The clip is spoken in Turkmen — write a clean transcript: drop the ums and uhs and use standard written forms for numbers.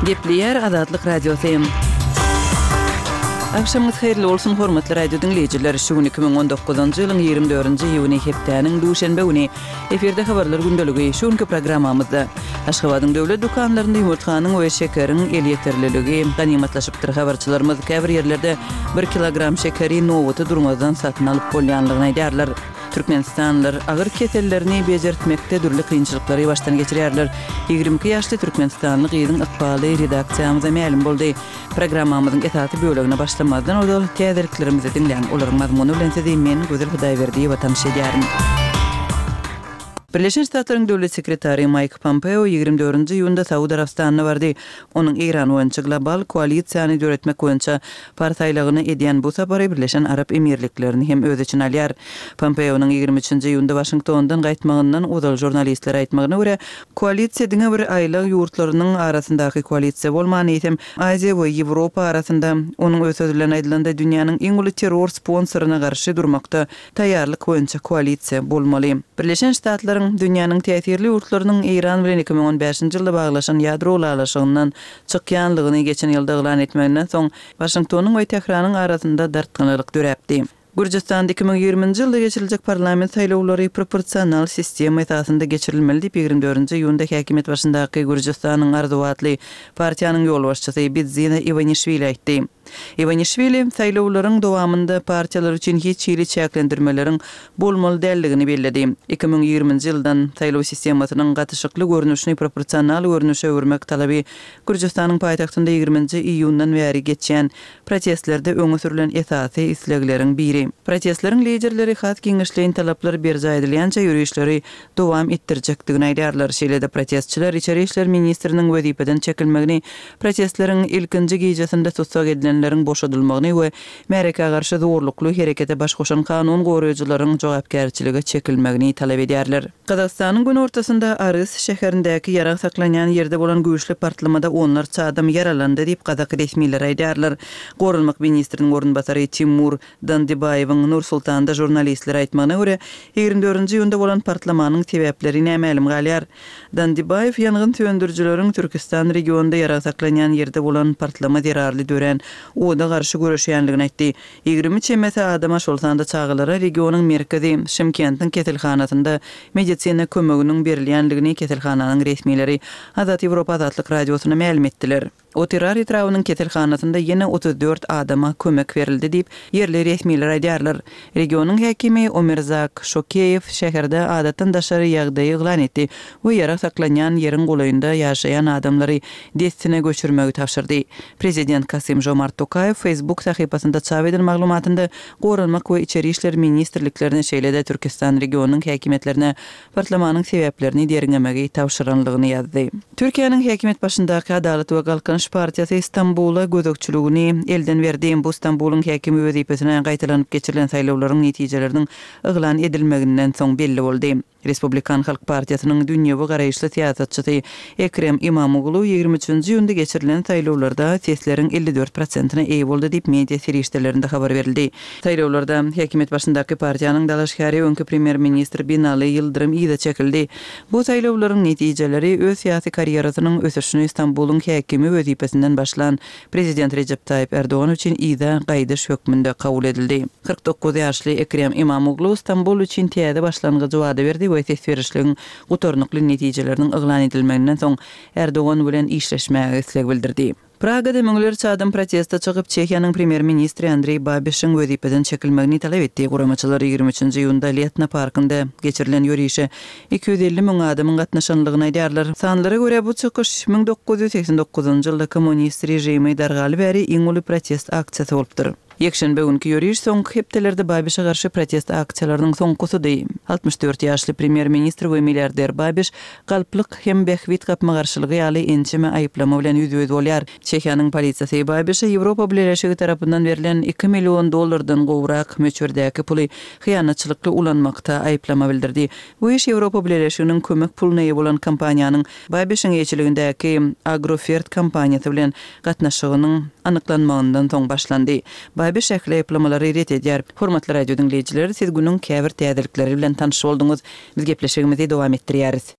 Gepleýär Azatlyk Radiosy. Agşamyňyz haýyrly bolsun, hormatly radio diňleýjiler! Şu gün 2019-njy ýylyň 24-nji iýuny, hepdäniň duşenbe güni. Efirde habarlar gündeligi. Şu günki programmamyzda Aşgabadyň döwlet dükanlarynda ýumurtganyň we şekeriň elýeterliligi ganymatlaşypdyr. Habarçylarymyz käbir ýerlerde bir kilogram şekeri nobata durmazdan satyn alyp bolýanlygyny aýdýarlar. Türkmenistanlylar agyr kesellerini bejertmekde dürli kynçylyklary başdan geçirýärler. 22 ýaşly türkmenistanly gyzyň ykbaly redaksiýamyza mälim boldy. Programmamyzyň esasy bölegine başlamazdan ozal täzeliklerimizi diňläň. Olaryň mazmuny bilen sizi men, Gözel Hudaýberdiýewa tanyş edýärin. Birleşen Ştatlaryň Döwlet sekretary Maýk Pompeo 24-nji iýunda Saud Arabystanyna bardy. Onuň Eýran boýunça global koalisiýany döretmek boýunça Pars aýlagyna edýän bu sapary Birleşen Arap Emirliklerini hem öz içine alýar. Pompeonyň 23-nji iýunda Waşingtondan gaýtmagyndan ozal žurnalistlere aýtmagyna görä, koalisiýa diňe bir aýlag ýurtlarynyň arasyndaky koalisiýa bolman, eýsem, Aziýa we Ýewropa arasynda, onuň öz sözi bilen aýdylanda, dünýäniň iň uly terror sponsoryna garşy durmakda taýýarlyk boýunça koalisiýa bolmaly. Birleşen Ştatlaryň, dünýäniň täsirli ýurtlarynyň Eýran bilen 2015-nji ýylda baglaşan ýadro ylalaşygyndan çykýanlygyny geçen ýylda yglan etmeginden soň, Waşingtonyň we Tähranyň arasynda dartgynlylyk döräpdi. Gürjüstanda 2020-nji ýylda geçiriljek parlament saýlawlary proporsional sistema esasynda geçirilmeli diýip, 24-nji iýunda häkimiýet başyndaky Gürjüstanyň arzuwy atly partiýanyň ýolbaşçysy Bidzina Iwanişwili aýtdy. Iwanişwili saýlawlaryň dowamynda partiýalar üçin hiç hili çäklendirmeleriň bolmaly däldigini belledi. 2020-nji ýyldan saýlaw sistemasynyň gatyşykly görnüşini proporsional görnüşe öwürmek talaby Gürjüstanyň paýtagtynda ýigriminji iýundan bäri geçýän protestlerde öňe sürlen esasy islegleriň biri. Protestleriň liderleri has giňişleýin talaplar berjaý edilýänçä ýörişleri dowam etdirjekdigini aýdýarlar. Şeýle-de protestçiler içeri işler ministriniň wezipeden çekilmegini, protestleriň ilkinji gijesinde tussag edilenleriň boşadylmagyny we märekä garşy zorlukly herekete baş goşan kanun goraýjylaryň jogapkärçilige çekilmegini talap edýärler. Gazagystanyň günortasynda Arys şäherindäki ýarag saklanýan ýerde bolan güýçli partlamada onlarça adam ýaralandy diýip, gazak resmileri aýdýarlar. Goranmak ministriniň orunbasary Timur Dandibaýewiň Nur-Sultanda žurnalistlere aýtmagyna görä, 24-nji iýunda bolan partlamanyň sebäpleri nämälim galýar. Dandibaýew ýangyn söndürijileriň Türkistan regionynda ýarag saklanýan ýerde bolan partlama zerarly dörän oda garşy göreşýändigini aýtdy. 20 çemesi adama, şol sanda çagalara regionyň merkezi, Şymkentiň keselhanasynda medisina kömeginiň berilýändigini keselhananyň resmileri Azat Ýewropa Azatlyk Radiosyna mälim etdiler. Otyrar etrabynyň keselhanasynda ýene 34 adama kömek berildi diýip, ýerli resmiler aýdýarlar. Regionyň häkimi Omirzak Şokeýew şäherde adatdan daşary ýagdaýy yglan etdi we ýarag saklanýan ýeriň golaýynda ýaşaýan adamlary dessine göçürmegi tabşyrdy. Prezident Kasym-Žomart Tokaýew Facebook sahypasynda çap eden maglumatynda Goranmak we Içeri işler ministrliklerine, şeýle-de Türkistan regionynyň häkimiýetlerine Partlamanyň sebäplerini derňemegi tabşyranlygyny ýazdy. Türkiýäniň häkimiýet başyndaky Adalat we Galkynyş partiýasy Stambula gözegçiligini elden berdi. Bu Stambulyň häkimi wezipesine gaýtalanyp geçirilen saýlawlaryň netijeleriniň yglan edilmeginden soň belli boldy. Respublikan halk partiýasynyň dünýewi garaýyşly syýasatçysy Ekrem Imamoglu 23-nji iýunda geçirilen saýlawlarda sesleriň 54 prosentine eýe boldy diýip, media serişdelerinde habar berildi. Saýlawlarda häkimiýet başyndaky partiýanyň dalaşgäri öňki premýer-ministr Binali Ýyldyrym yza çekildi. Bu saýlawlaryň netijeleri öz syýasy karýerasynyň ösüşini Stambulyň häkimi wezipesinden başlan prezident Rejep Taýyp Ärdogan üçin yza gaýdyş hökmünde kabul edildi. 49 ýaşly Ekrem Imamoglu Stambul üçin täze başlangyjy wada berdi we ses berişligiň gutarnykly netijeleriniň yglan edilmeginden soň Ärdogan bilen işleşmäge isleg bildirdi. Pragada müňlerçe adam proteste çykyp, Çehiýanyň premýer-ministri Andreý Babişiň wezipeden çekilmegini talap etdi. Guramaçylar 23-nji iýunda Letna parkynda geçirilen ýörişe 250 müň adamyň gatnaşanlygyny aýdýarlar. Sanlara görä, bu çykyş 1989-njy ýylda kommunist režimi dargaly bäri iň uly protest aksiýasy bolupdyr. Ýekşenbe günki ýöriş soňky hepdelerde Babişe garşy protest aksiýalarynyň soňkusydy. 64 ýaşly premýer-ministr we milliarder Babiş galplyk hem bähbit gapma-garşylygy ýaly ençeme aýyplama bilen ýüzbe-ýüz bolýar. Çehiýanyň polisiýasy Babişe Ýewropa Bileleşigi tarapyndan berlen iki million dollardan gowrak möçberdäki puly hyýanatçylykly ulanmakda aýyplama bildirdi. Bu iş Ýewropa Bileleşiginiň kömek puluna eýe bolan kompaniýanyň Babişiň eýeçiligindäki Agrofert kompaniýasy bilen gatnaşygynyň anyklanmagyndan soň başlandy. Babiş ähli aýyplamalary ret edýär. Hormatly radio diňleýjiler, siz günüň käbir täzelikleri bilen tanyş bolduňyz. Biz gepleşigimizi dowam etdirýäris.